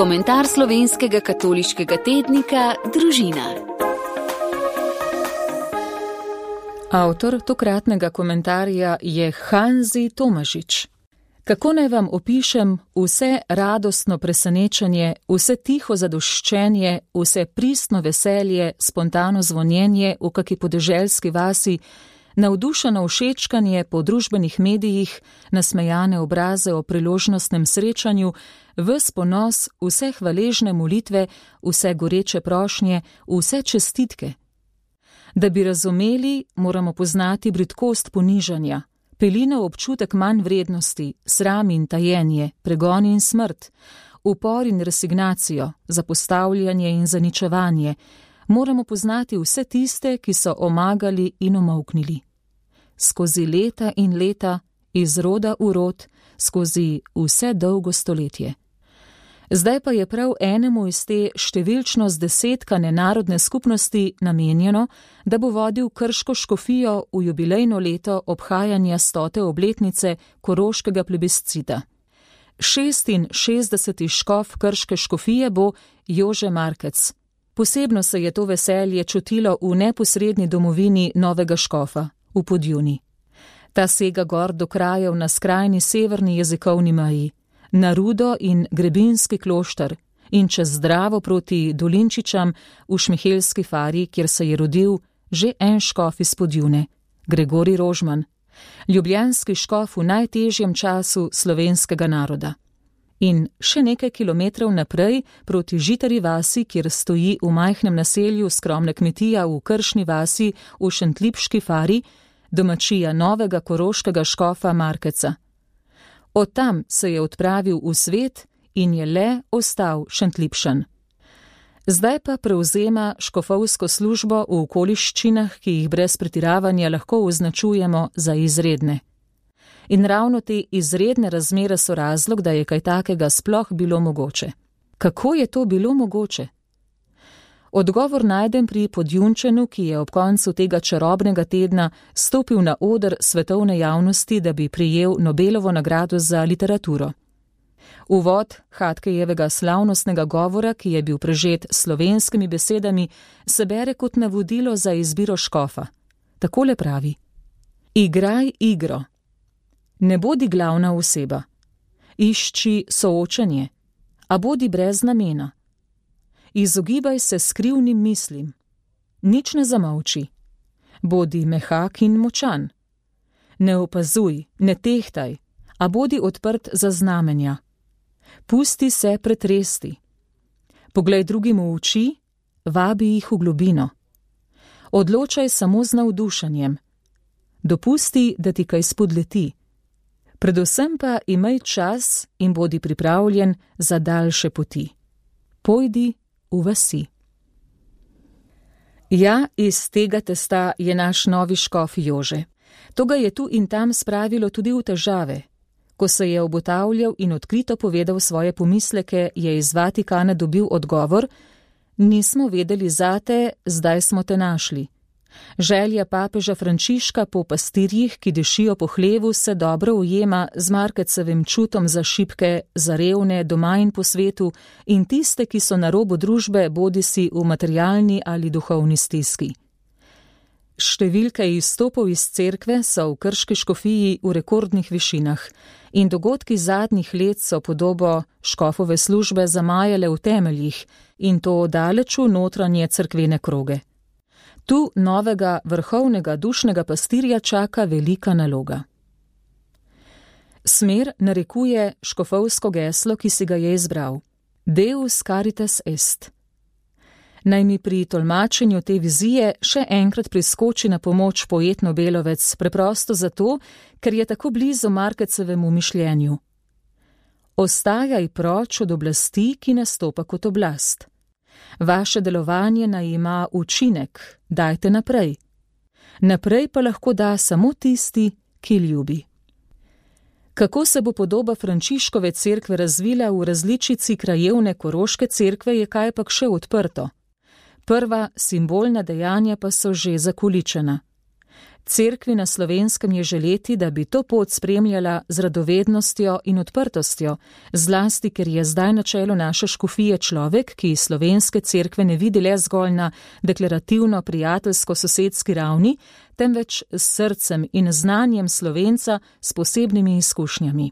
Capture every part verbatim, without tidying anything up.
Komentar slovenskega katoliškega tednika Družina. Avtor tokratnega komentarja je Hanzi Tomažič. Kako naj vam opišem vse radostno presenečenje, vse tiho zadoščenje, vse pristno veselje, spontano zvonjenje v kaki podeželski vasi, navdušeno všečkanje po družbenih medijih, nasmejane obraze o priložnostnem srečanju, ves ponos, vse hvaležne molitve, vse goreče prošnje, vse čestitke. Da bi razumeli, moramo poznati bridkost ponižanja, pelinov občutek manj vrednosti, sram in tajenje, pregon in smrt, upor in resignacijo, zapostavljanje in zaničevanje. Moramo poznati vse tiste, ki so omagali in omolknili. Skozi leta in leta, iz roda v rod, skozi vse dolgo stoletje. Zdaj pa je prav enemu iz te številčno zdesetkane narodne skupnosti namenjeno, da bo vodil krško škofijo v jubilejno leto obhajanja stote obletnice koroškega plebiscita. šestinšestdeseti škof krške škofije bo Jože Markec. Posebno se je to veselje čutilo v neposredni domovini novega škofa, v Podjuni. Ta sega gor do krajev na skrajni severni jezikovni meji, na Rudo in Grebinski klošter in čez Dravo proti Dolinčičam v Šmihelski fari, kjer se je rodil že en škof iz Podjune, Gregorij Rožman, ljubljanski škof v najtežjem času slovenskega naroda. In še nekaj kilometrov naprej proti Žitari vasi, kjer stoji v majhnem naselju skromna kmetija v Kršni vasi v Šentlipški fari, domačija novega koroškega škofa Markeca. Od tam se je odpravil v svet in je le ostal Šentlipšan. Zdaj pa prevzema škofovsko službo v okoliščinah, ki jih brez pretiravanja lahko označujemo za izredne. In ravno te izredne razmere so razlog, da je kaj takega sploh bilo mogoče. Kako je to bilo mogoče? Odgovor najdem pri Podjunčanu, ki je ob koncu tega čarobnega tedna stopil na oder svetovne javnosti, da bi prejel Nobelovo nagrado za literaturo. Uvod Hatkejevega slavnostnega govora, ki je bil prežet s slovenskimi besedami, se bere kot navodilo za izbiro škofa. Takole pravi: Igraj igro. Ne bodi glavna oseba. Išči soočenje, a bodi brez namena. Izogibaj se skrivnim mislim. Nič ne zamolči. Bodi mehak in močan. Ne opazuj, ne tehtaj, a bodi odprt za znamenja. Pusti se pretresti. Poglej drugim v oči, vabi jih v globino. Odločaj samo z navdušenjem. Dopusti, da ti kaj spodleti. Predvsem pa imej čas in bodi pripravljen za daljše poti. Pojdi v vasi. Ja, iz tega testa je naš novi škof Jože. To ga je tu in tam spravilo tudi v težave. Ko se je obotavljal in odkrito povedal svoje pomisleke, je iz Vatikana dobil odgovor: nismo vedeli zate, zdaj smo te našli. Želja papeža Frančiška po pastirjih, ki dišijo po hlevu, se dobro ujema z Markecevim čutom za šibke, za revne, doma in po svetu in tiste, ki so na robu družbe, bodisi v materialni ali duhovni stiski. Številke izstopov iz cerkve so v krški škofiji v rekordnih višinah in dogodki zadnjih let so podobo škofove službe zamajale v temeljih in to daleč v notranje cerkvene kroge. Tu novega vrhovnega dušnega pastirja čaka velika naloga. Smer narekuje škofovsko geslo, ki si ga je izbral: Deus caritas est. Naj mi pri tolmačenju te vizije še enkrat priskoči na pomoč poet Nobelovec, preprosto zato, ker je tako blizu Markecevemu mišljenju. Ostajaj proč od oblasti, ki nastopa kot oblast. Vaše delovanje naj ima učinek, dajte naprej. Naprej pa lahko da samo tisti, ki ljubi. Kako se bo podoba Frančiškove cerkve razvila v različici krajevne koroške cerkve, je kajpak še odprto. Prva simbolna dejanja pa so že zakoličena. Cerkvi na Slovenskem je želeti, da bi to pot spremljala z radovednostjo in odprtostjo, zlasti, ker je zdaj na čelu naše škofije človek, ki slovenske cerkve ne vidi le zgolj na deklarativno prijateljsko-sosedski ravni, temveč s srcem in znanjem Slovenca s posebnimi izkušnjami.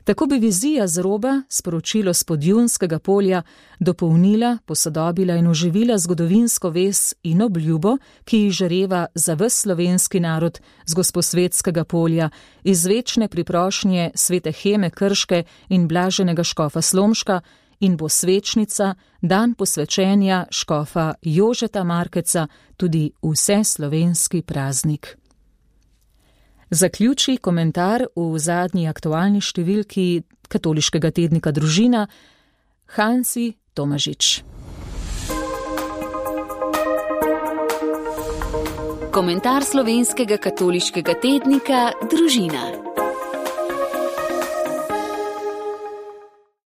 Tako bi vizija z roba, sporočilo s Podjunskega polja, dopolnila, posodobila in oživila zgodovinsko vez in obljubo, ki jih žareva za ves slovenski narod z Gosposvetskega polja, iz večne priprošnje svete Heme Krške in blaženega škofa Slomška, in bo svečnica, dan posvečenja škofa Jožeta Markeca, tudi vseslovenski praznik. Zaključi komentar v zadnji aktualni številki katoliškega tednika Družina Hansi Tomažič. Komentar slovenskega katoliškega tednika Družina.